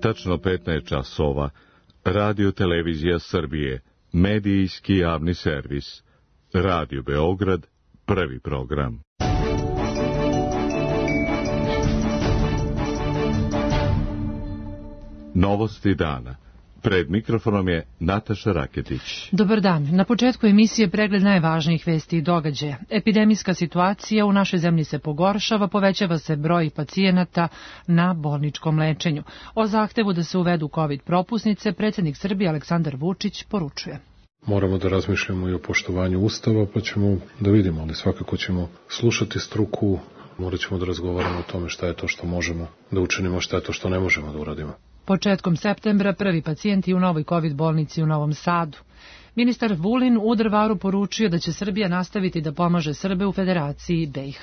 Tačno 15 časova. Radio Televizija Srbije. Medijski javni servis. Radio Beograd. Prvi program. Novosti dana. Pred mikrofonom je Nataša Raketić. Dobar dan. Na početku emisije pregled najvažnijih vesti i događaja. Epidemijska situacija u našoj zemlji se pogoršava, povećava se broj pacijenata na bolničkom lečenju. O zahtevu da se uvedu COVID propusnice predsjednik Srbije Aleksandar Vučić poručuje. Moramo da razmišljamo i o poštovanju Ustava, pa ćemo da vidimo, ali svakako ćemo slušati struku, morat ćemo da razgovaramo o tome šta je to što možemo da učinimo, šta je to što ne možemo da uradimo. Početkom septembra prvi pacijenti u novoj COVID bolnici u Novom Sadu. Ministar Vulin u Drvaru poručio da će Srbija nastaviti da pomaže Srbe u Federaciji BiH.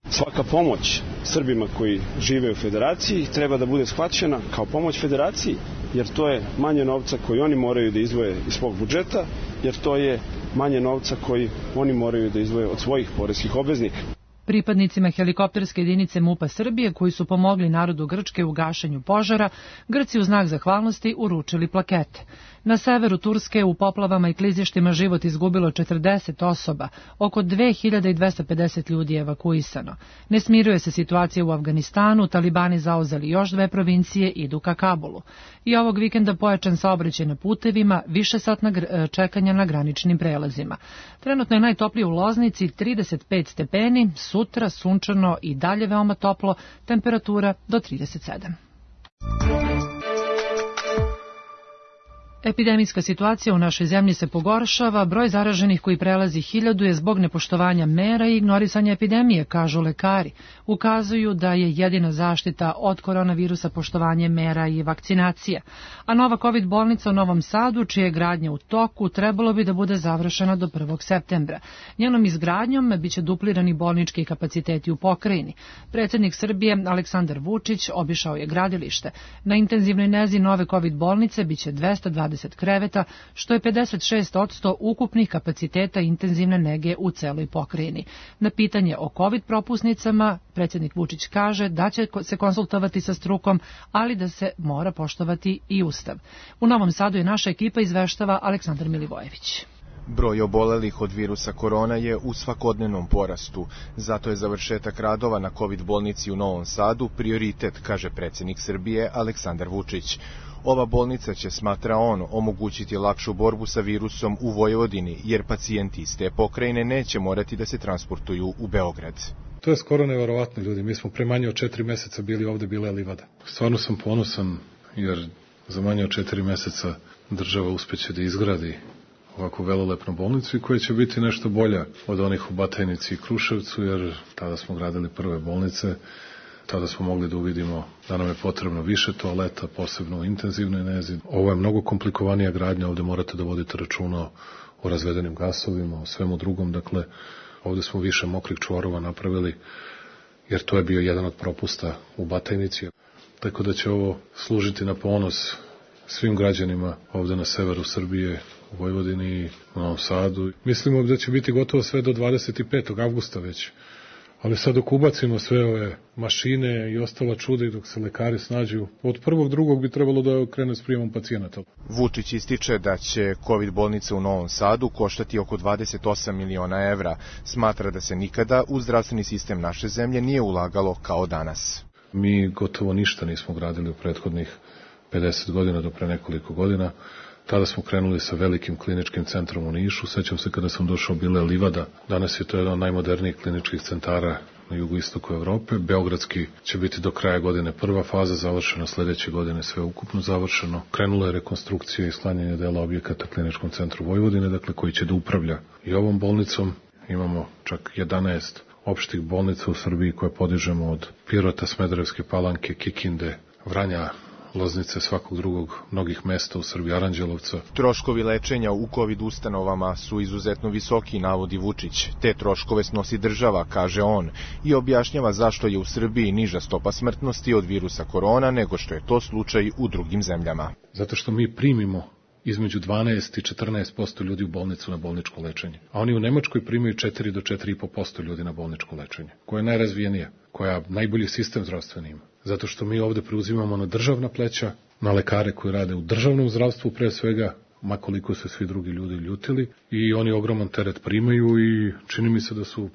Svaka pomoć Srbima koji žive u Federaciji treba da bude shvaćena kao pomoć Federaciji, jer to je manje novca koji oni moraju da izdvoje iz svog budžeta, jer to je manje novca koji oni moraju da izdvoje od svojih poreskih obveznika. Pripadnicima helikopterske jedinice MUP-a Srbije koji su pomogli narodu Grčke u gašenju požara, Grci u znak zahvalnosti uručili plakete. Na severu Turske u poplavama i klizištima život izgubilo 40 osoba, oko 2250 ljudi je evakuisano. Ne smiruje se situacija u Afganistanu, talibani zauzeli još 2 provincije, idu ka Kabulu. I ovog vikenda pojačan saobraćaj na putevima, višesatna čekanja na graničnim prelazima. Trenutno je najtoplije u Loznici, 35 stepeni, sutra sunčano i dalje veoma toplo, temperatura do 37. Epidemijska situacija u našoj zemlji se pogoršava, broj zaraženih koji prelazi 1000 je zbog nepoštovanja mera i ignorisanja epidemije, kažu lekari. Ukazuju da je jedina zaštita od koronavirusa poštovanje mera i vakcinacija. A nova COVID bolnica u Novom Sadu, čija je gradnja u toku, trebalo bi da bude završena do 1. septembra. Njenom izgradnjom biće duplirani bolnički kapaciteti u pokrajini. Predsjednik Srbije Aleksandar Vučić obišao je gradilište. Na intenzivnoj nezi nove COVID bolnice biće 220 kreveta, što je 56% ukupnih kapaciteta intenzivne nege u celoj pokrajini. Na pitanje o COVID propusnicama, predsjednik Vučić kaže da će se konsultovati sa strukom, ali da se mora poštovati i Ustav. U Novom Sadu je naša ekipa, izveštava Aleksandar Milivojević. Broj obolelih od virusa korona je u svakodnevnom porastu. Zato je završetak radova na COVID bolnici u Novom Sadu prioritet, kaže predsjednik Srbije Aleksandar Vučić. Ova bolnica će, smatra on, omogućiti lakšu borbu sa virusom u Vojvodini, jer pacijenti iz te pokrajine neće morati da se transportuju u Beograd. To je skoro neverovatno, ljudi. Mi smo pre manje od 4 meseca bili ovde, bila je livada. Stvarno sam ponosan, jer za manje od 4 meseca država uspeće da izgradi ovakvu velelepnu bolnicu i koja će biti nešto bolja od onih u Batajnici i Kruševcu, jer tada smo gradili prve bolnice, tada smo mogli da uvidimo da nam je potrebno više toaleta, posebno u intenzivnoj nezi. Ovo je mnogo komplikovanija gradnja, ovde morate da vodite računa o razvedenim gasovima, o svemu drugom, dakle, ovde smo više mokrih čvorova napravili, jer to je bio jedan od propusta u Batajnici. Tako da će ovo služiti na ponos svim građanima ovde na severu Srbije, u Vojvodini i u Novom Sadu. Mislimo da će biti gotovo sve do 25. avgusta već. Ali sad dok ubacimo sve ove mašine i ostala čuda i dok se lekari snađu, od 1.2. bi trebalo da krene s prijemom pacijenata. Vučić ističe da će COVID bolnica u Novom Sadu koštati oko 28 miliona evra. Smatra da se nikada u zdravstveni sistem naše zemlje nije ulagalo kao danas. Mi gotovo ništa nismo gradili u prethodnih 50 godina do pre nekoliko godina. Tada smo krenuli sa velikim kliničkim centrom u Nišu. Sećam se kada sam došao, bila je livada. Danas je to jedan od najmodernijih kliničkih centara na jugoistoku Evrope. Beogradski će biti do kraja godine prva faza završena, sledeće godine sve ukupno završeno. Krenula je rekonstrukcija i sklanjanje dela objekata kliničkom centru Vojvodine, dakle koji će da upravlja i ovom bolnicom. Imamo čak 11 opštih bolnica u Srbiji koje podižemo od Pirota, Smederevske Palanke, Kikinde, Vranja, Loznice, svakog drugog, mnogih mesta u Srbiji, Aranđelovca. Troškovi lečenja u COVID ustanovama su izuzetno visoki, navodi Vučić. Te troškove snosi država, kaže on, i objašnjava zašto je u Srbiji niža stopa smrtnosti od virusa korona nego što je to slučaj u drugim zemljama. Zato što mi primimo između 12 i 14% ljudi u bolnicu na bolničko lečenje. A oni u Nemačkoj primaju 4 do 4,5% ljudi na bolničko lečenje, koja je najrazvijenija, koja najbolji sistem zdravstveni ima. Zato što mi ovde preuzimamo na državna pleća na lekare koji rade u državnom zdravstvu pre svega, makoliko se svi drugi ljudi ljutili, i oni ogroman teret primaju i čini mi se da su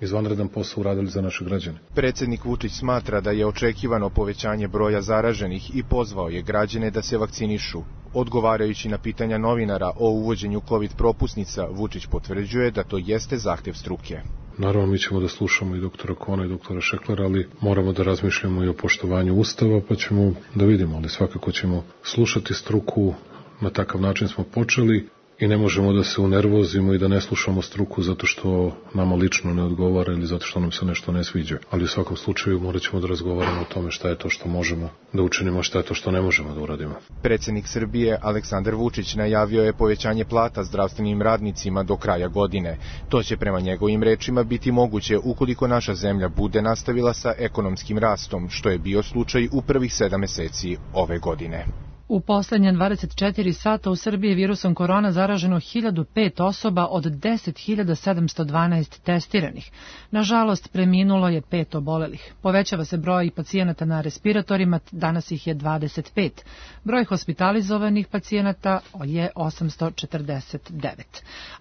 izvanredan posao uradili za naše građane. Predsednik Vučić smatra da je očekivano povećanje broja zaraženih i pozvao je građane da se vakcinišu. Odgovarajući na pitanja novinara o uvođenju COVID propusnica, Vučić potvrđuje da to jeste zahtev struke. Naravno, mi ćemo da slušamo i doktora Kona i doktora Šeklera, ali moramo da razmišljamo i o poštovanju Ustava, pa ćemo da vidimo, ali svakako ćemo slušati struku, na takav način smo počeli i ne možemo da se unervozimo i da ne slušamo struku zato što nama lično ne odgovara ili zato što nam se nešto ne sviđa. Ali u svakom slučaju morat ćemo da razgovaramo o tome šta je to što možemo da učinimo, šta je to što ne možemo da uradimo. Predsednik Srbije Aleksandar Vučić najavio je povećanje plata zdravstvenim radnicima do kraja godine. To će prema njegovim rečima biti moguće ukoliko naša zemlja bude nastavila sa ekonomskim rastom, što je bio slučaj u prvih 7 meseci ove godine. U poslednje 24 sata u Srbiji virusom korona zaraženo 1005 osoba od 10.712 testiranih. Nažalost, preminulo je 5 obolelih. Povećava se broj pacijenata na respiratorima, danas ih je 25. Broj hospitalizovanih pacijenata je 849.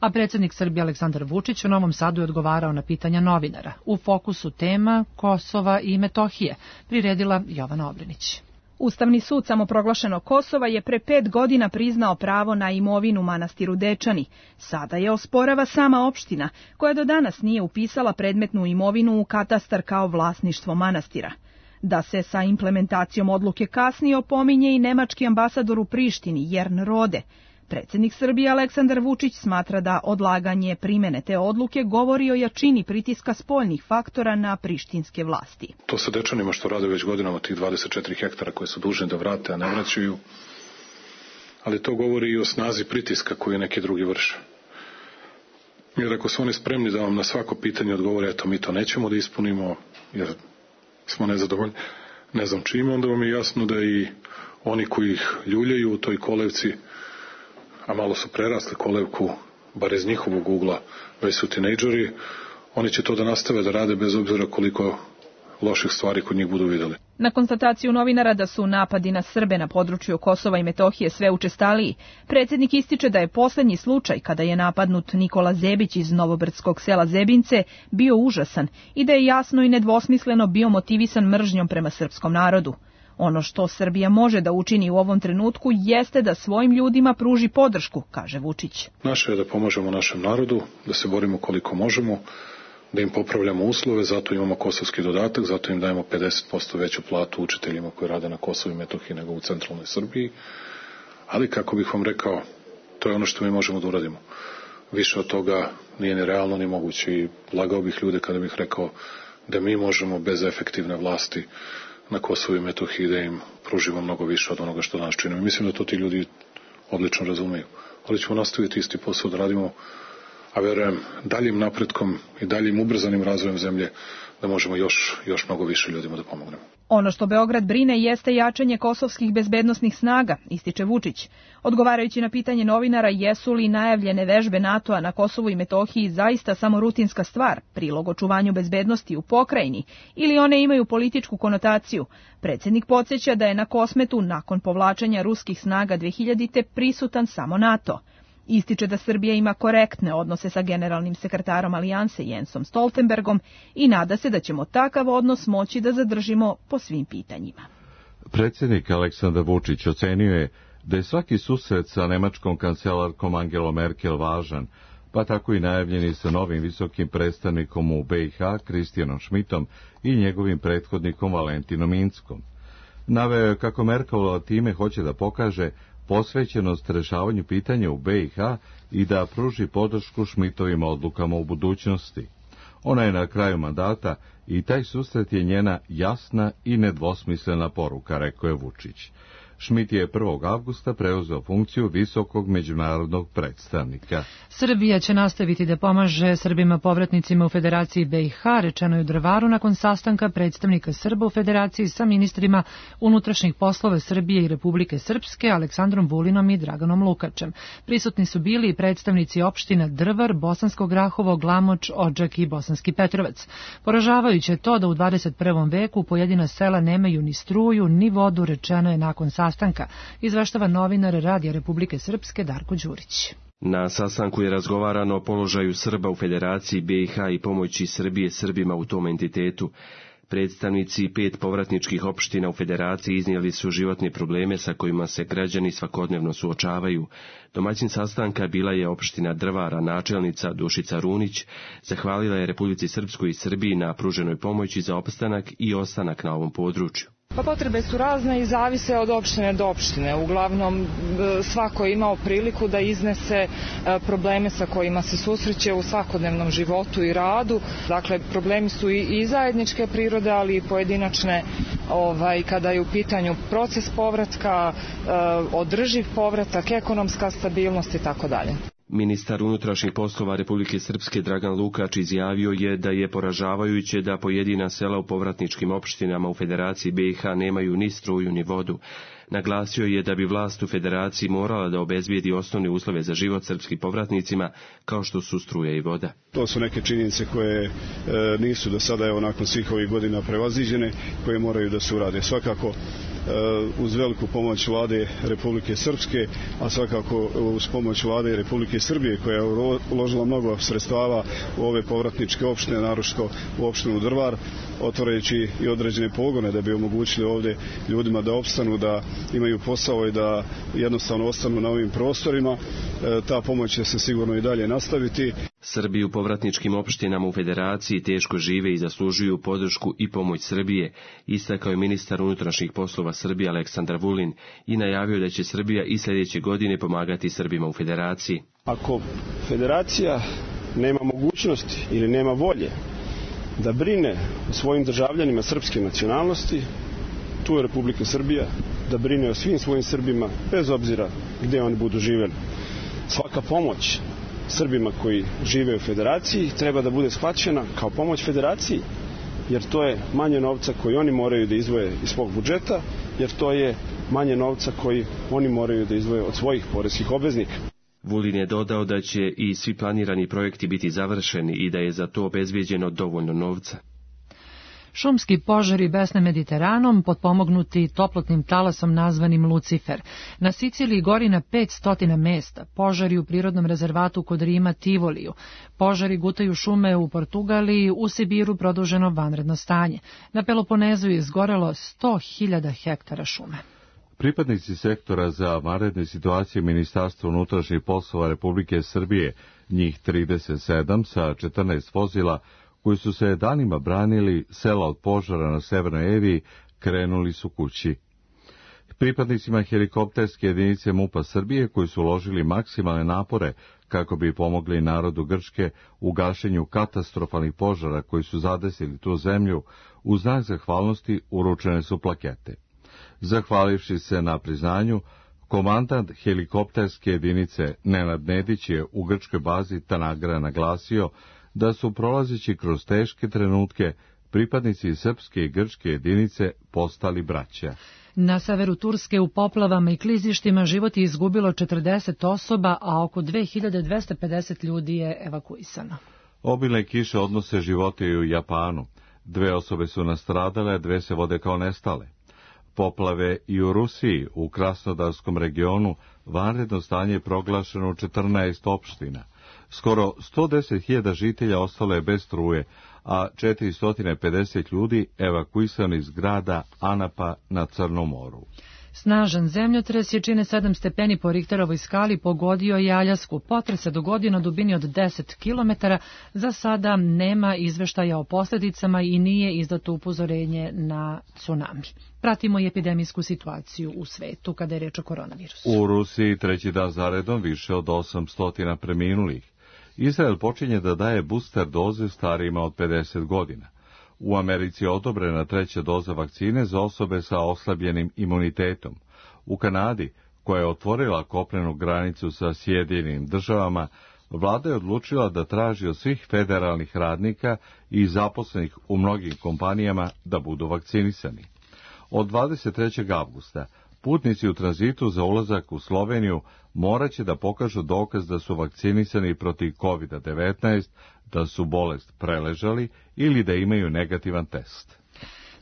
A predsednik Srbije Aleksandar Vučić u Novom Sadu je odgovarao na pitanja novinara. U fokusu tema Kosova i Metohije, priredila Jovana Obrenić. Ustavni sud samoproglašenog Kosova je pre 5 godina priznao pravo na imovinu manastiru Dečani. Sada je osporava sama opština, koja do danas nije upisala predmetnu imovinu u katastar kao vlasništvo manastira. Da se sa implementacijom odluke kasnije opominje i nemački ambasador u Prištini, Jern Rode. Predsednik Srbije Aleksandar Vučić smatra da odlaganje primene te odluke govori o jačini pritiska spoljnih faktora na prištinske vlasti. To sa Dečanima što rade već godinama, tih 24 hektara koje su dužni da vrate, a ne vraćaju, ali to govori i o snazi pritiska koju neki drugi vrše. Jer ako su oni spremni da vam na svako pitanje odgovore, eto mi to nećemo da ispunimo, jer smo nezadovoljni, ne znam čime, onda vam je jasno da i oni koji ih ljuljaju u toj kolevci, a malo su prerasli kolevku, bar iz njihovog ugla, već su tinejdžeri, oni će to da nastave da rade bez obzira koliko loših stvari kod njih budu videli. Na konstataciju novinara da su napadi na Srbe na području Kosova i Metohije sve učestaliji, predsednik ističe da je poslednji slučaj kada je napadnut Nikola Zebić iz novobrdskog sela Zebince bio užasan i da je jasno i nedvosmisleno bio motivisan mržnjom prema srpskom narodu. Ono što Srbija može da učini u ovom trenutku jeste da svojim ljudima pruži podršku, kaže Vučić. Naše je da pomažemo našem narodu, da se borimo koliko možemo, da im popravljamo uslove, zato imamo kosovski dodatak, zato im dajemo 50% veću platu učiteljima koji rade na Kosovu i Metohiji nego u centralnoj Srbiji. Ali, kako bih vam rekao, to je ono što mi možemo da uradimo. Više od toga nije ni realno ni moguće i lagao bih ljude kada bih rekao da mi možemo bez efektivne vlasti na Kosovu i Metohiji da im pružimo mnogo više od onoga što danas činimo. Mislim da to ti ljudi odlično razumeju. Ali ćemo nastaviti isti posao da radimo, a verujem daljim napretkom i daljim ubrzanim razvojem zemlje da možemo još mnogo više ljudima da pomognemo. Ono što Beograd brine jeste jačanje kosovskih bezbednosnih snaga, ističe Vučić. Odgovarajući na pitanje novinara jesu li najavljene vežbe NATO-a na Kosovu i Metohiji zaista samo rutinska stvar, prilog očuvanju bezbednosti u pokrajini, ili one imaju političku konotaciju, predsednik podsjeća da je na Kosmetu nakon povlačenja ruskih snaga 2000. prisutan samo NATO. Ističe da Srbija ima korektne odnose sa generalnim sekretarom Alijanse Jensom Stoltenbergom i nada se da ćemo takav odnos moći da zadržimo po svim pitanjima. Predsjednik Aleksandar Vučić ocenio je da je svaki susret sa nemačkom kancelarkom Angelom Merkel važan, pa tako i najavljeni sa novim visokim predstavnikom u BiH Kristijanom Šmitom i njegovim prethodnikom Valentinom Inckom. Naveo je kako Merkelova time hoće da pokaže posvećenost rešavanju pitanja u BiH i da pruži podršku Šmitovim odlukama u budućnosti. Ona je na kraju mandata i taj susret je njena jasna i nedvosmislena poruka, rekao je Vučić. Šmit je 1. avgusta preuzeo funkciju visokog međunarodnog predstavnika. Srbija će nastaviti da pomaže Srbima povratnicima u Federaciji BiH, rečeno je u Drvaru nakon sastanka predstavnika Srba u Federaciji sa ministrima unutrašnjih poslova Srbije i Republike Srpske, Aleksandrom Vulinom i Draganom Lukačem. Prisutni su bili i predstavnici opština Drvar, Bosansko Grahovo, Glamoč, Odžak i Bosanski Petrovac. Poražavajuće je to da u 21. veku pojedina sela nemaju ni struju, ni vodu, rečeno je nakon sastanka sastanka, izveštava novinar Radija Republike Srpske Darko Đurić. Na sastanku je razgovarano o položaju Srba u Federaciji BiH i pomoći Srbije Srbima u tom entitetu. Predstavnici 5 povratničkih opština u Federaciji iznijeli su životne probleme sa kojima se građani svakodnevno suočavaju. Domaćin sastanka bila je opština Drvara, načelnica Dušica Runić. Zahvalila je Republici Srpskoj i Srbiji na pruženoj pomoći za opstanak i ostanak na ovom području. Pa potrebe su razne i zavise od opštine do opštine. Uglavnom svako je imao priliku da iznese probleme sa kojima se susreće u svakodnevnom životu i radu. Dakle, problemi su i zajedničke prirode, ali i pojedinačne kada je u pitanju proces povratka, održiv povratak, ekonomska stabilnost i tako dalje. Ministar unutrašnjih poslova Republike Srpske Dragan Lukač izjavio je da je poražavajuće da pojedina sela u povratničkim opštinama u Federaciji BiH nemaju ni struju ni vodu. Naglasio je da bi vlast u Federaciji morala da obezbijedi osnovne uslove za život srpskim povratnicima, kao što su struja i voda. To su neke činjenice koje nisu do sada, nakon svih ovih godina prevaziđene, koje moraju da se urade. Svakako uz veliku pomoć vlade Republike Srpske, a svakako uz pomoć vlade Republike Srbije, koja je uložila mnogo sredstava u ove povratničke opštine, naročito u opštinu Drvar, otvarajući i određene pogone da bi omogućili ovdje ljudima da opstanu, da imaju posao i da jednostavno ostanu na ovim prostorima. Ta pomoć će se sigurno i dalje nastaviti. Srbi u povratničkim opštinama u Federaciji teško žive i zaslužuju podršku i pomoć Srbije, istakao je ministar unutrašnjih poslova Srbije Aleksandar Vulin i najavio da će Srbija i sljedeće godine pomagati Srbima u Federaciji. Ako Federacija nema mogućnosti ili nema volje da brine o svojim državljanima srpske nacionalnosti, tu je Republika Srbija da brine o svim svojim Srbima, bez obzira gdje oni budu živjeli. Svaka pomoć Srbima koji žive u Federaciji treba da bude shvaćena kao pomoć Federaciji, jer to je manje novca koji oni moraju da izdvoje iz svog budžeta, jer to je manje novca koji oni moraju da izdvoje od svojih poreskih obveznika. Vulin je dodao da će i svi planirani projekti biti završeni i da je za to obezbijeđeno dovoljno novca. Šumski požari besne Mediteranom, potpomognuti toplotnim talasom nazvanim Lucifer. Na Siciliji gori na 500 mesta, požari u prirodnom rezervatu kod Rima Tivoliju, požari gutaju šume u Portugaliji, u Sibiru produženo vanredno stanje. Na Peloponezu je izgorelo 100.000 hektara šume. Pripadnici sektora za vanredne situacije Ministarstva unutrašnjih poslova Republike Srbije, njih 37 sa 14 vozila, koji su se danima branili sela od požara na Severnoj Eviji, krenuli su kući. Pripadnicima helikopterske jedinice MUP-a Srbije, koji su uložili maksimalne napore kako bi pomogli narodu Grčke u gašenju katastrofalnih požara koji su zadesili tu zemlju, u znak zahvalnosti uručene su plakete. Zahvalivši se na priznanju, komandant helikopterske jedinice Nenad Nedić je u grčkoj bazi Tanagra naglasio da su prolazeći kroz teške trenutke pripadnici srpske i grčke jedinice postali braća. Na severu Turske u poplavama i klizištima život je izgubilo 40 osoba, a oko 2250 ljudi je evakuisano. Obilne kiše odnose živote i u Japanu. 2 osobe su nastradale, 2 se vode kao nestale. Poplave i u Rusiji, u Krasnodarskom regionu, vanredno stanje je proglašeno u 14 opština. Skoro 110.000 žitelja ostalo je bez struje, a 450 ljudi evakuisani iz grada Anapa na Crnom moru. Snažan zemljotres jačine 7 stepeni po Richterovoj skali pogodio je Aljasku. Potres se dogodio na dubini od 10 km. Za sada nema izveštaja o posljedicama i nije izdato upozorenje na tsunami. Pratimo i epidemijsku situaciju u svetu kada je reč o koronavirusu. U Rusiji 3. dan zaredom više od 800 preminulih. Izrael počinje da daje booster doze starijima od 50 godina. U Americi je odobrena 3. doza vakcine za osobe sa oslabljenim imunitetom. U Kanadi, koja je otvorila kopnenu granicu sa Sjedinjenim državama, vlada je odlučila da traži od svih federalnih radnika i zaposlenih u mnogim kompanijama da budu vakcinisani. Od 23. avgusta putnici u tranzitu za ulazak u Sloveniju morat će da pokažu dokaz da su vakcinisani protiv COVID-19, da su bolest preležali ili da imaju negativan test.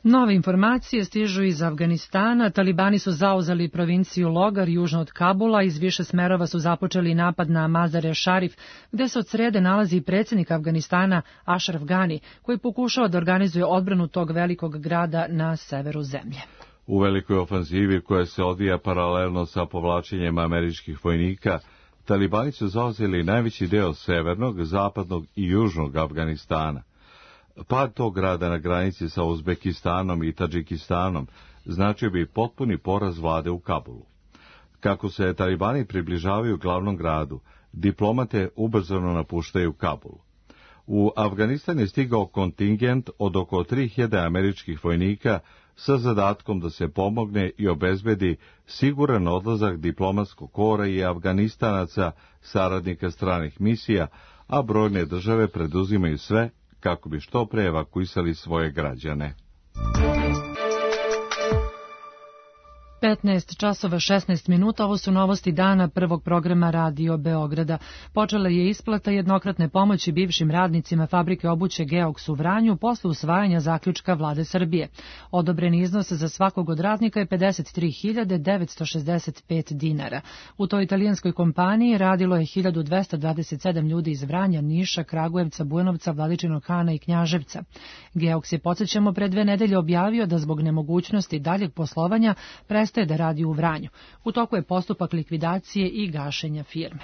Nove informacije stižu iz Afganistana. Talibani su zauzeli provinciju Logar južno od Kabula. Iz više smerova su započeli napad na Mazar-e Šarif, gde se od srede nalazi predsjednik Afganistana Ashraf Ghani, koji pokušava da organizuje odbranu tog velikog grada na severu zemlje. U velikoj ofanzivi koja se odvija paralelno sa povlačenjem američkih vojnika, Talibani su zauzeli najveći deo severnog, zapadnog i južnog Afganistana. Pad tog grada na granici sa Uzbekistanom i Tadžikistanom značio bi potpuni poraz vlade u Kabulu. Kako se Talibani približavaju glavnom gradu, diplomate ubrzano napuštaju Kabul. U Afganistan je stigao kontingent od oko 3000 američkih vojnika sa zadatkom da se pomogne i obezbedi siguran odlazak diplomatskog kora i Afganistanaca, saradnika stranih misija, a brojne države preduzimaju sve kako bi što pre evakuisali svoje građane. 15 časova 16 minuta, ovo su novosti dana prvog programa Radio Beograda. Počela je isplata jednokratne pomoći bivšim radnicima fabrike obuće Geoks u Vranju posle usvajanja zaključka Vlade Srbije. Odobreni iznos za svakog od radnika je 53.965 dinara. U toj italijanskoj kompaniji radilo je 1227 ljudi iz Vranja, Niša, Kragujevca, Bujanovca, Vladičinog Hana i Knjaževca. Geoks je, podsjećamo, pre 2 nedelje objavio da zbog nemogućnosti daljeg poslovanja prestaje da radi u Vranju. U toku je postupak likvidacije i gašenja firme.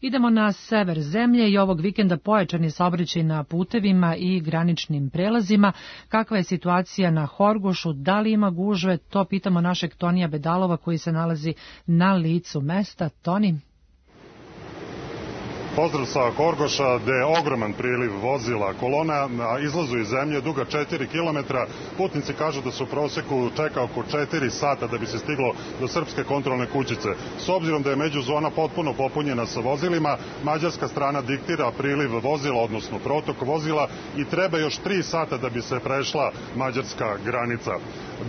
Idemo na sever zemlje i ovog vikenda pojačan je saobraćaj na putevima i graničnim prelazima. Kakva je situacija na Horgošu, da li ima gužve, to pitamo našeg Tonija Bedalova koji se nalazi na licu mesta. Toni? Pozdrav sa Horgoša, gde je ogroman priliv vozila. Kolona na izlazu iz zemlje duga 4 km. Putnici kažu da su u proseku čeka oko 4 sata da bi se stiglo do srpske kontrolne kućice. S obzirom da je međuzona potpuno popunjena sa vozilima, mađarska strana diktira priliv vozila, odnosno protok vozila, i treba još 3 sata da bi se prešla mađarska granica.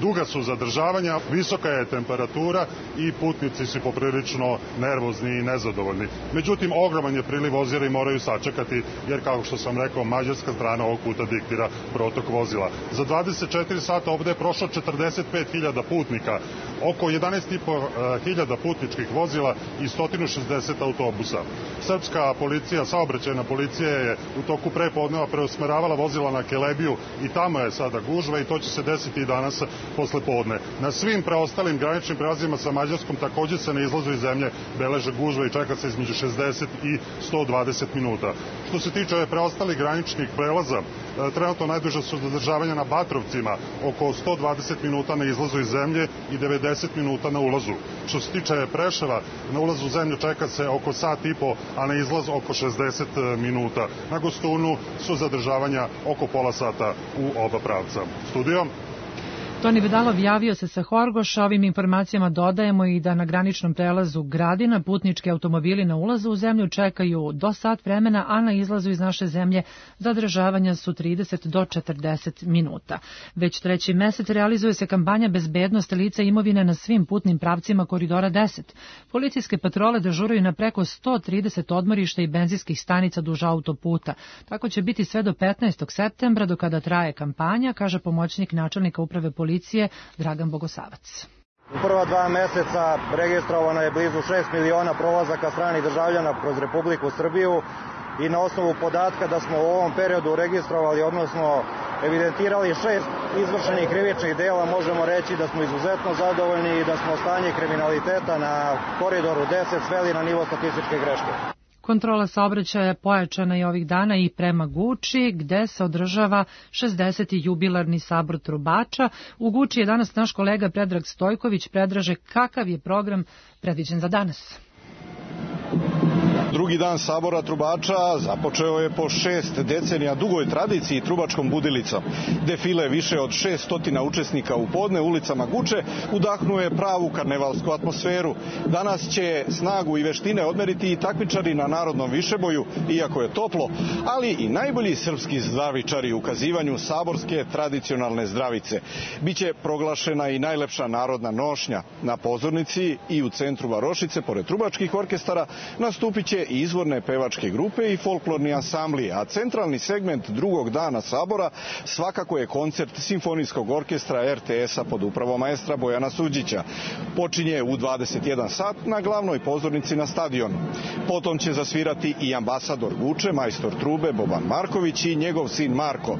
Duga su zadržavanja, visoka je temperatura i putnici su poprilično nervozni i nezadovoljni. Međutim, ogroman je priliv vozila i moraju sačekati, jer kao što sam rekao, mađarska strana ovog puta diktira protok vozila. Za 24 sata ovde je prošlo 45.000 putnika, oko 11.500 putničkih vozila i 160 autobusa. Srpska policija, saobraćajna policija je u toku prepodneva preusmeravala vozila na Kelebiju i tamo je sada gužva i to će se desiti i danas posle podne. Na svim preostalim graničnim prelazima sa Mađarskom takođe se na izlazu iz zemlje beleže gužva i čeka se između 60 i 120 minuta. Što se tiče preostalih graničnih prelaza, trenutno najduže su zadržavanja na Batrovcima, oko 120 minuta na izlazu iz zemlje i 90 minuta na ulazu. Što se tiče Preševa, na ulazu u zemlju čeka se oko sat i po, a na izlaz oko 60 minuta. Na Gostunu su zadržavanja oko pola sata u oba pravca. Studio? Toni Bedalov javio se sa Horgoša. Ovim informacijama dodajemo i da na graničnom prelazu Gradina putnički automobili na ulazu u zemlju čekaju do sat vremena, a na izlazu iz naše zemlje zadržavanja su 30 do 40 minuta. Već 3. mesec realizuje se kampanja bezbednost lica i imovine na svim putnim pravcima Koridora 10. Policijske patrole dežuraju na preko 130 odmorišta i benzinskih stanica duž autoputa. Tako će biti sve do 15. septembra, do kada traje kampanja, kaže pomoćnik načelnika uprave policije Dragan Bogosavac. U prva 2 meseca registrovano je blizu 6 miliona prolazaka stranih državljana kroz Republiku Srbiju i na osnovu podatka da smo u ovom periodu registrovali, odnosno evidentirali 6 izvršenih krivičnih dela, možemo reći da smo izuzetno zadovoljni i da smo stanje kriminaliteta na Koridoru 10 sveli na nivo statističke greške. Kontrola saobraćaja pojačana je ovih dana i prema Guči, gde se održava 60. jubilarni sabor trubača. U Guči je danas naš kolega Predrag Stojković. Predraže, kakav je program predviđen za danas? Drugi dan sabora trubača započeo je po 6 decenija dugoj tradiciji trubačkom budilicom. Defile više od 600 učesnika u podne ulicama Guče udahnuje pravu karnevalsku atmosferu. Danas će snagu i veštine odmeriti i takmičari na narodnom višeboju, iako je toplo, ali i najbolji srpski zdravičari u ukazivanju saborske tradicionalne zdravice. Biće proglašena i najlepša narodna nošnja. Na pozornici i u centru varošice, pored trubačkih orkestara, nastupit će dve izvorne pevačke grupe i folklorni ansambli, a centralni segment drugog dana sabora svakako je koncert Simfonijskog orkestra RTS-a pod upravom maestra Bojana Suđića. Počinje u 21 sat na glavnoj pozornici na stadionu. Potom će zasvirati i ambasador Guče, majstor trube Boban Marković i njegov sin Marko.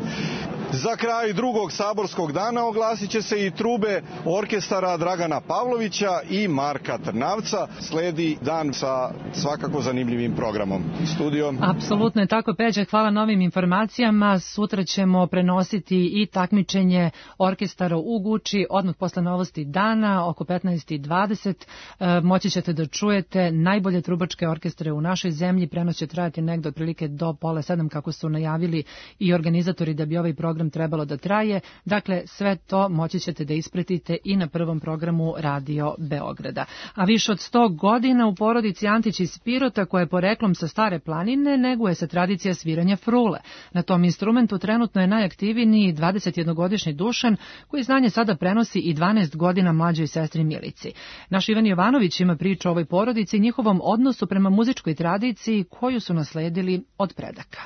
Za kraj drugog saborskog dana oglasit će se i trube orkestara Dragana Pavlovića i Marka Trnavca. Sledi dan sa svakako zanimljivim programom. Studio. Apsolutno je tako, Peđa, hvala na ovim informacijama. Sutra ćemo prenositi i takmičenje orkestara u Guči, odmah posle novosti dana, oko 15:20. Moći ćete da čujete najbolje trubačke orkestre u našoj zemlji. Prenos će trajati negde otprilike do 6:30, kako su najavili i organizatori da bi ovaj program trebalo da traje. Dakle, sve to moći ćete da ispratite i na prvom programu Radio Beograda. A više od 100 godina u porodici Antić iz Pirota, koja je poreklom sa Stare planine, neguje se tradicija sviranja frule. Na tom instrumentu trenutno je najaktivniji 21-godišnji Dušan, koji znanje sada prenosi i 12 godina mlađoj sestri Milici. Naš Ivan Jovanović ima priču o ovoj porodici i njihovom odnosu prema muzičkoj tradiciji koju su nasledili od predaka.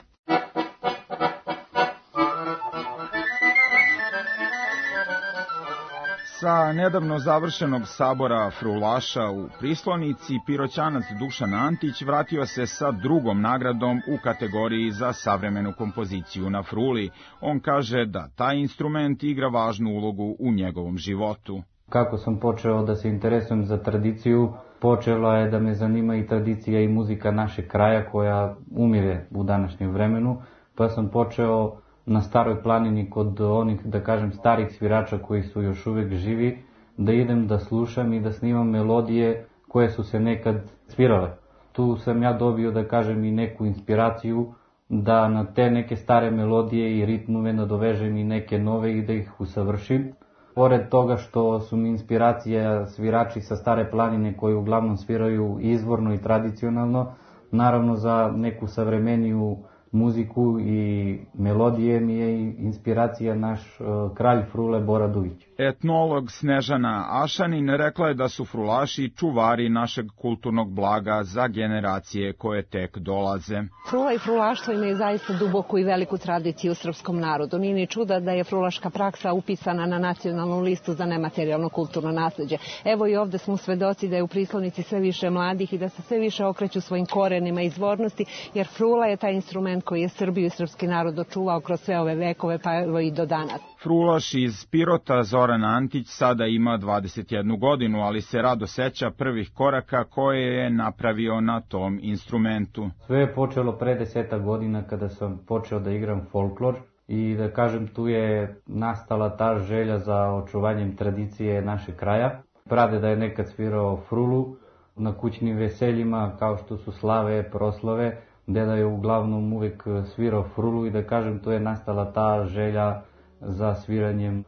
Sa nedavno završenog sabora frulaša u Prislonici, Piroćanac Dušan Antić vratio se sa drugom nagradom u kategoriji za savremenu kompoziciju na fruli. On kaže da taj instrument igra važnu ulogu u njegovom životu. Kako sam počeo da se interesujem za tradiciju, počela je da me zanima i tradicija i muzika našeg kraja koja umire u današnjem vremenu, pa sam počeo na Staroj planini kod onih, da kažem, starih svirača koji su još uvek živi, da idem da slušam i da snimam melodije koje su se nekad svirale. Tu sam ja dobio, da kažem, i neku inspiraciju da na te neke stare melodije i ritmove nadovežem i neke nove i da ih usavršim. Pored toga što su mi inspiracija svirači sa Stare planine koji uglavnom sviraju izvorno i tradicionalno, naravno za neku savremeniju muziku i melodije mi je inspiracija naš kralj frule Bora Duvić. Etnolog Snežana Ašanin rekla je da su frulaši čuvari našeg kulturnog blaga za generacije koje tek dolaze. Frula i frulaštvo imaju zaista duboku i veliku tradiciju u srpskom narodu. Nije ni čuda da je frulaška praksa upisana na nacionalnu listu za nematerijalno kulturno nasleđe. Evo i ovde smo svedoci da je u Prislonici sve više mladih i da se sve više okreću svojim korenima i izvornosti, jer frula je taj instrument koji je Srbiju i srpski narod očuvao kroz sve ove vekove, pa evo i do danas. Frulaš iz Pirota Zoran Antić sada ima 21 godinu, ali se rado seća prvih koraka koje je napravio na tom instrumentu. Sve je počelo pre 10 godina kada sam počeo da igram folklor i da kažem tu je nastala ta želja za očuvanjem tradicije našeg kraja. Pradeda je nekad svirao frulu na kućnim veseljima kao što su slave, proslave. Deda je uglavnom uvek svirao frulu i da kažem tu je nastala ta želja za sviranjem.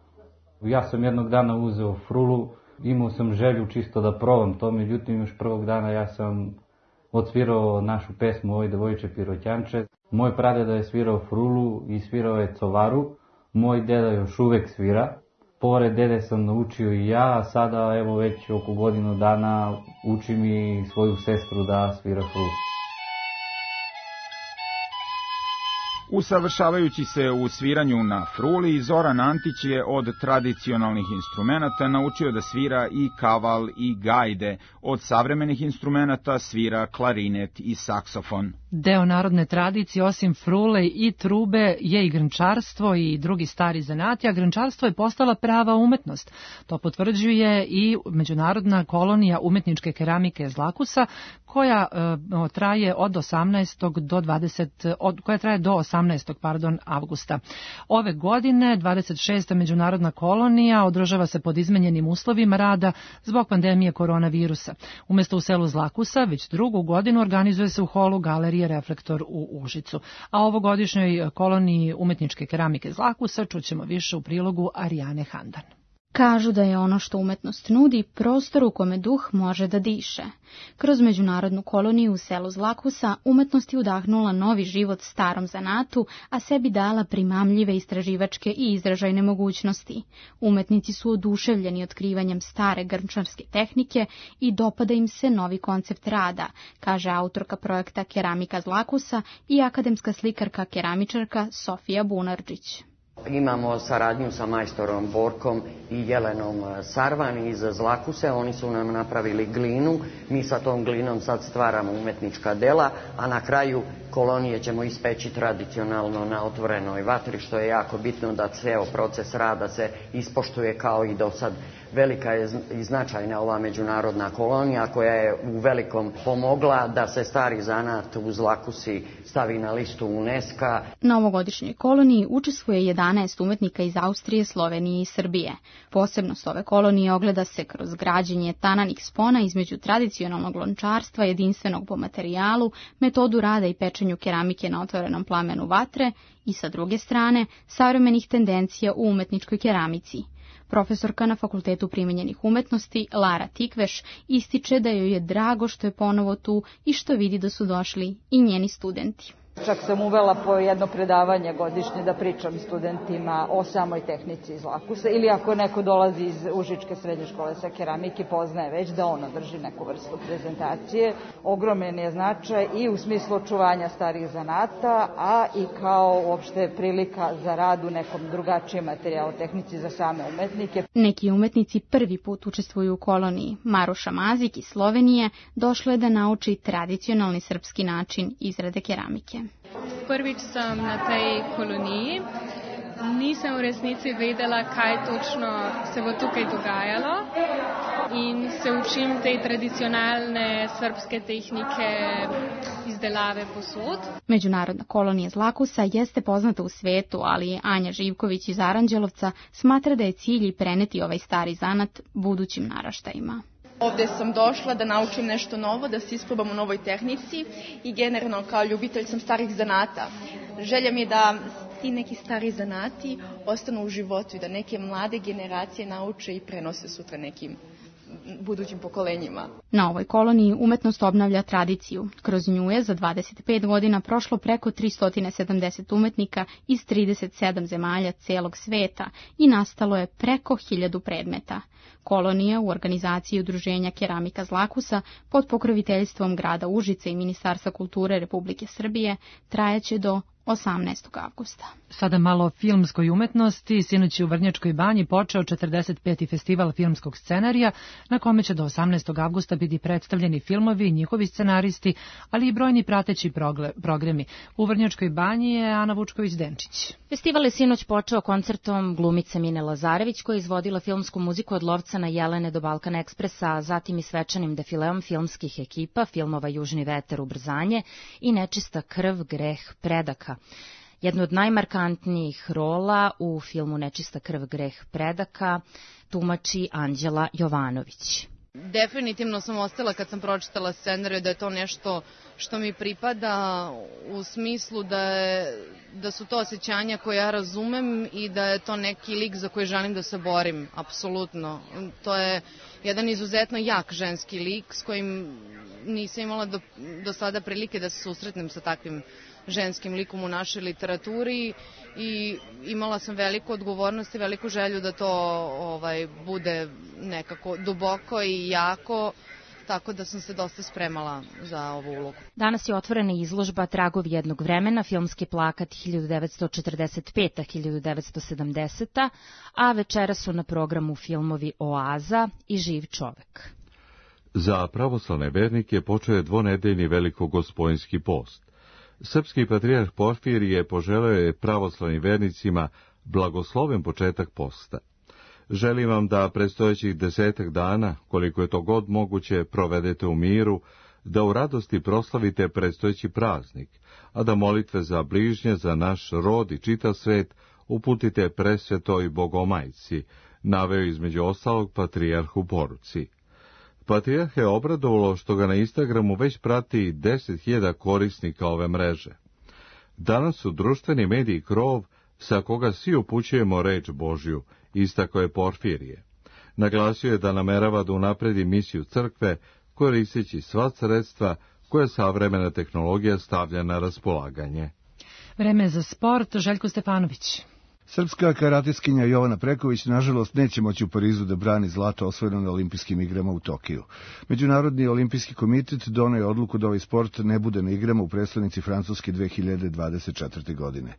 Ja sam jednog dana uzeo frulu, imao sam želju čisto da probam to, međutim još prvog dana ja sam odsvirao našu pesmu Oj devojče Piroćanče. Moj pradeda je svirao frulu i svirao je covaru, moj deda još uvek svira. Pored dede sam naučio i ja, a sada evo već oko godinu dana učim i svoju sestru da svira frulu. Usavršavajući se u sviranju na fruli, Zoran Antić je od tradicionalnih instrumenata naučio da svira i kaval i gajde. Od savremenih instrumenata svira klarinet i saksofon. Deo narodne tradicije, osim frule i trube, je i grnčarstvo i drugi stari zanati, a grnčarstvo je postala prava umetnost. To potvrđuje i Međunarodna kolonija umetničke keramike Zlakusa, koja traje od 18. do 20. koja traje do 18. avgusta. Ove godine 26. međunarodna kolonija održava se pod izmenjenim uslovima rada zbog pandemije koronavirusa. Umesto u selu Zlakusa, već drugu godinu organizuje se u holu Galerije Reflektor u Užicu. A ovogodišnjoj koloniji umetničke keramike Zlakusa čućemo više u prilogu Arijane Handan. Kažu da je ono što umetnost nudi prostor u kome duh može da diše. Kroz međunarodnu koloniju u selu Zlakusa umetnost je udahnula novi život starom zanatu, a sebi dala primamljive istraživačke i izražajne mogućnosti. Umetnici su oduševljeni otkrivanjem stare grnčarske tehnike i dopada im se novi koncept rada, kaže autorka projekta Keramika Zlakusa i akademska slikarka keramičarka Sofija Bunarđić. Imamo saradnju sa majstorom Borkom i Jelenom Sarvan iz Zlakuse. Oni su nam napravili glinu. Mi sa tom glinom sad stvaramo umetnička dela, a na kraju kolonije ćemo ispeći tradicionalno na otvorenoj vatri, što je jako bitno da ceo proces rada se ispoštuje kao i do sad. Velika je i značajna ova međunarodna kolonija koja je u velikom pomogla da se stari zanat u Zlakusi stavi na listu UNESCO. Na ovogodišnjoj koloniji učestvuje 11 umetnika iz Austrije, Slovenije i Srbije. Posebnost ove kolonije ogleda se kroz građenje tananih spona između tradicionalnog lončarstva, jedinstvenog po materijalu, metodu rada i pečenju keramike na otvorenom plamenu vatre i, sa druge strane, savremenih tendencija u umetničkoj keramici. Profesorka na Fakultetu primenjenih umetnosti, Lara Tikveš, ističe da joj je drago što je ponovo tu i što vidi da su došli i njeni studenti. Čak sam uvela po jedno predavanje godišnje da pričam studentima o samoj tehnici iz Zlakusa, ili ako neko dolazi iz Užičke srednje škole sa keramike, poznaje već da ona drži neku vrstu prezentacije. Ogroman je značaj i u smislu očuvanja starih zanata, a i kao uopšte prilika za rad u nekom drugačijem materijalu tehnici za same umetnike. Neki umetnici prvi put učestvuju u koloniji. Maruša Mazik iz Slovenije došla je da nauči tradicionalni srpski način izrade keramike. Prvič sem na tej koloniji. Nisem v resnici vedela, kaj točno se bo tukaj dogajalo in se učim te tradicionalne srpske tehnike izdelave posud. Međunarodna kolonija Zlakusa jeste poznata u svetu, ali Anja Živković iz Aranđelovca smatra da je cilj i preneti ovaj stari zanat budućim naraštajima. Ovde sam došla da naučim nešto novo, da se isprobam u novoj tehnici i generalno kao ljubitelj sam starih zanata. Želja mi je da ti neki stari zanati ostanu u životu i da neke mlade generacije nauče i prenose sutra nekim budućim pokolenjima. Na ovoj koloniji umetnost obnavlja tradiciju. Kroz nju je za 25 godina prošlo preko 370 umetnika iz 37 zemalja celog sveta i nastalo je preko 1000 predmeta. Kolonija u organizaciji Udruženja Keramika Zlakusa pod pokroviteljstvom grada Užice i Ministarstva kulture Republike Srbije trajaće do 18. avgusta. Sada malo o filmskoj umetnosti. Sinoć je u Vrnjačkoj banji počeo 45. festival filmskog scenarija, na kome će do 18. avgusta biti predstavljeni filmovi, njihovi scenaristi, ali i brojni prateći programi. U Vrnjačkoj banji je Ana Vučković-Denčić. Festival je sinoć počeo koncertom glumice Mine Lazarević, koja je izvodila filmsku muziku od Lovcana Jelene do Balkan Ekspresa, a zatim i svečanim defileom filmskih ekipa, filmova Južni veter, Ubrzanje i Nečista krv, greh, predaka. Jednu od najmarkantnijih rola u filmu Nečista krv, greh, predaka tumači Anđela Jovanović. Definitivno sam ostala kad sam pročitala scenariju da je to nešto što mi pripada, u smislu da su to osjećanja koje ja razumem i da je to neki lik za koji želim da se borim, apsolutno. To je jedan izuzetno jak ženski lik s kojim nisam imala do sada prilike da se susretnem sa takvim ženskim likom u našoj literaturi i imala sam veliku odgovornost i veliku želju da to bude nekako duboko i jako, tako da sam se dosta spremala za ovu ulogu. Danas je otvorena izložba Tragovi jednog vremena, filmski plakat 1945-1970, a večera su na programu filmovi Oaza i Živ čovek. Za pravoslavne vernike počeo je dvonedeljni velikogospojinski post. Srpski patrijarh Porfirije poželeo je pravoslavnim vernicima blagosloven početak posta. Želim vam da predstojećih 10 dana, koliko je to god moguće, provedete u miru, da u radosti proslavite predstojeći praznik, a da molitve za bližnje, za naš rod i čitav svet uputite presvetoj Bogomajci, naveo između ostalog patrijarh u poruci. Patrijarh je obradovalo što ga na Instagramu već prati 10.000 korisnika ove mreže. Danas su društveni mediji krov sa koga svi upućujemo reč Božju, istakao je Porfirije. Naglasio je da namerava da unapredi misiju crkve koristeći sva sredstva koje savremena tehnologija stavlja na raspolaganje. Vreme za sport, Željko Stefanović. Srpska karatiskinja Jovana Preković nažalost neće moći u Parizu da brani zlato osvojeno na olimpijskim igrama u Tokiju. Međunarodni olimpijski komitet doneo je odluku da ovaj sport ne bude na igrama u prestonici Francuske 2024. godine.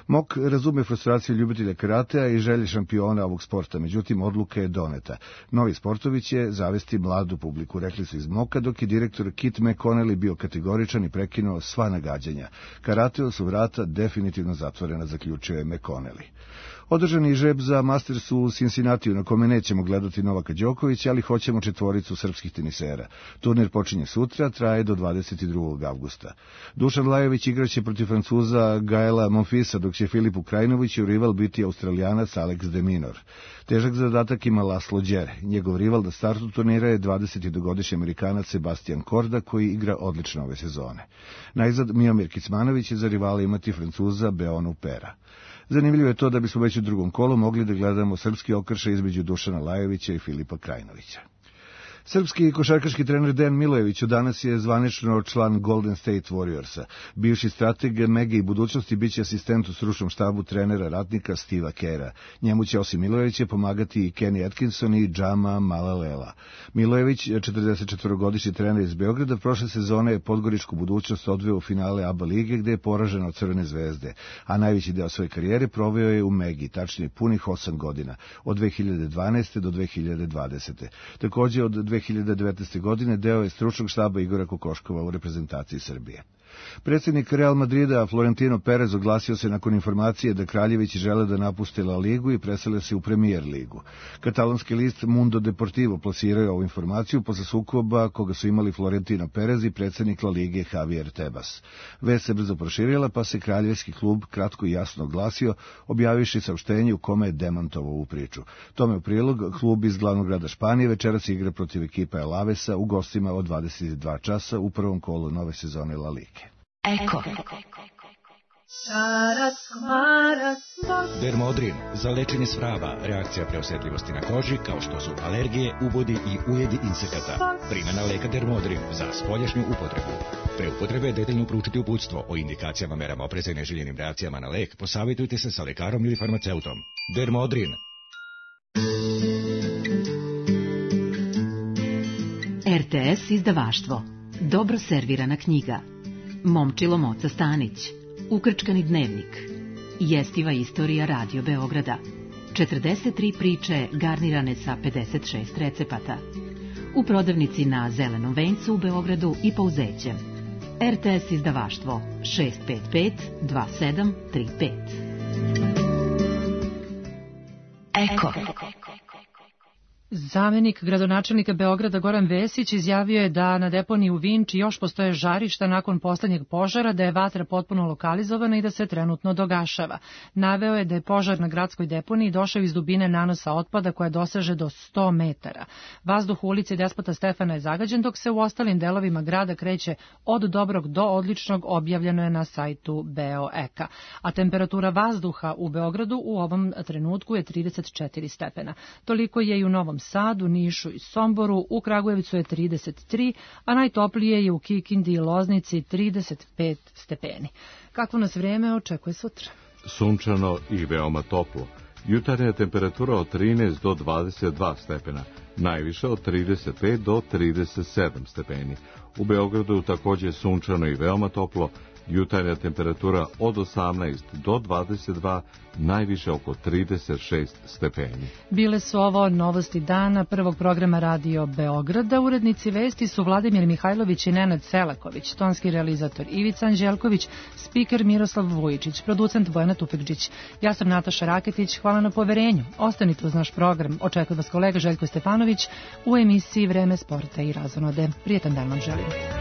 MOK razume frustraciju ljubitelja karatea i želje šampiona ovog sporta, međutim odluka je doneta. Novi sportovi će zavesti mladu publiku, rekli su iz MOK-a, dok je direktor Kit McConnelly bio kategoričan i prekinuo sva nagađanja. Karateo su vrata definitivno zatvorena, zaključio je McConnelly. Održan je žreb za Masters u Cincinnatiju, na kome nećemo gledati Novaka Đokovića, ali hoćemo četvoricu srpskih tenisera. Turnir počinje sutra, traje do 22. avgusta. Dušan Lajović igraće protiv Francuza Gaela Monfilsa, dok će Filipu Krajinoviću rival biti Australijanac Alex de Minaur. Težak zadatak ima Laslo Đer. Njegov rival na startu turnira je 22-godišnji Amerikanac Sebastian Korda, koji igra odlično ove sezone. Najzad Miomir Kicmanović će za rivala imati Francuza Beonu Pera. Zanimljivo je to da bismo već u drugom kolu mogli da gledamo srpski okršaj između Dušana Lajovića i Filipa Krajinovića. Srpski košarkaški trener Dejan Milojević danas je zvanično član Golden State Warriorsa. Bivši strateg Mege i budućnosti biće asistent u stručnom štabu trenera ratnika Steva Kera. Njemu će osim Milojevića pomagati i Kenny Atkinson i Džama Malalela. Milojević, 44-godišnji trener iz Beograda, prošle sezone je Podgoričku budućnost odveo u finale ABA lige, gde je poražen od Crvene zvezde, a najveći deo svoje karijere proveo je u Megi, tačnije punih 8 godina, od 2012. do 2020. Takođe od 2019. godine deo je stručnog štaba Igora Kokoškova u reprezentaciji Srbije. Predsjednik Real Madrida Florentino Perez oglasio se nakon informacije da Kraljevići žele da napuste La Ligu i presele se u Premier ligu. Katalonski list Mundo Deportivo plasirao je ovu informaciju posle sukoba koga su imali Florentino Perez i predsjednik La Lige Javier Tebas. Vest se brzo proširila, pa se kraljevski klub kratko i jasno oglasio, objavivši saopštenje u kome je demantovao ovu priču. Tome u prilog, klub iz glavnog grada Španije večeras igra protiv ekipa Alavesa u gostima od 22 časa u prvom kolu nove sezone La Lige. Eko. Dermodrin za lečenje svraba, reakcija preosetljivosti na koži kao što su alergije, ubodi i ujedi insekata. Primjena leka Dermodrin za spoljašnju upotrebu. Pre upotrebe detaljno proučiti uputstvo o indikacijama, merama opreza i neželjenim reakcijama na lek. Posavitujte se sa lekarom ili farmaceutom. Dermodrin. RTS izdavaštvo. Dobro servirana knjiga. Momčilo Moca Stanić. Ukrčkani dnevnik. Jestiva istorija Radio Beograda. 43 priče garnirane sa 56 recepata. U prodavnici na Zelenom vencu u Beogradu i Pouzećem. RTS izdavaštvo 655 2735. Eko. Zamenik gradonačelnika Beograda Goran Vesić izjavio je da na deponiji u Vinči još postoje žarišta nakon poslednjeg požara, da je vatra potpuno lokalizovana i da se trenutno dogašava. Naveo je da je požar na gradskoj deponiji došao iz dubine nanosa otpada koja doseže do 100 metara. Vazduh u ulici Despota Stefana je zagađen, dok se u ostalim delovima grada kreće od dobrog do odličnog, objavljeno je na sajtu BeoEka. A temperatura vazduha u Beogradu u ovom trenutku je 34 stepena. Toliko je i u Novom Sadu, Nišu i Somboru, u Kragujevcu je 33, a najtoplije je u Kikindi i Loznici 35 stepeni. Kakvo nas vreme očekuje sutra? Sunčano i veoma toplo. Jutarnja temperatura od 13 do 22 stepena, najviše od 35 do 37 stepeni. U Beogradu takođe sunčano i veoma toplo, jutarnja temperatura od 18 do 22, najviše oko 36 stepeni. Bile su ovo novosti dana prvog programa Radio Beograda. Urednici vesti su Vladimir Mihajlović i Nenad Selaković, tonski realizator Ivica Anđelković, spiker Miroslav Vujičić, producent Bojana Tufekđić. Ja sam Nataša Raketić, hvala na poverenju. Ostanite uz naš program. Očekuje vas kolega Željko Stefanović u emisiji Vreme sporta i razonode. Prijetan dan vam želim.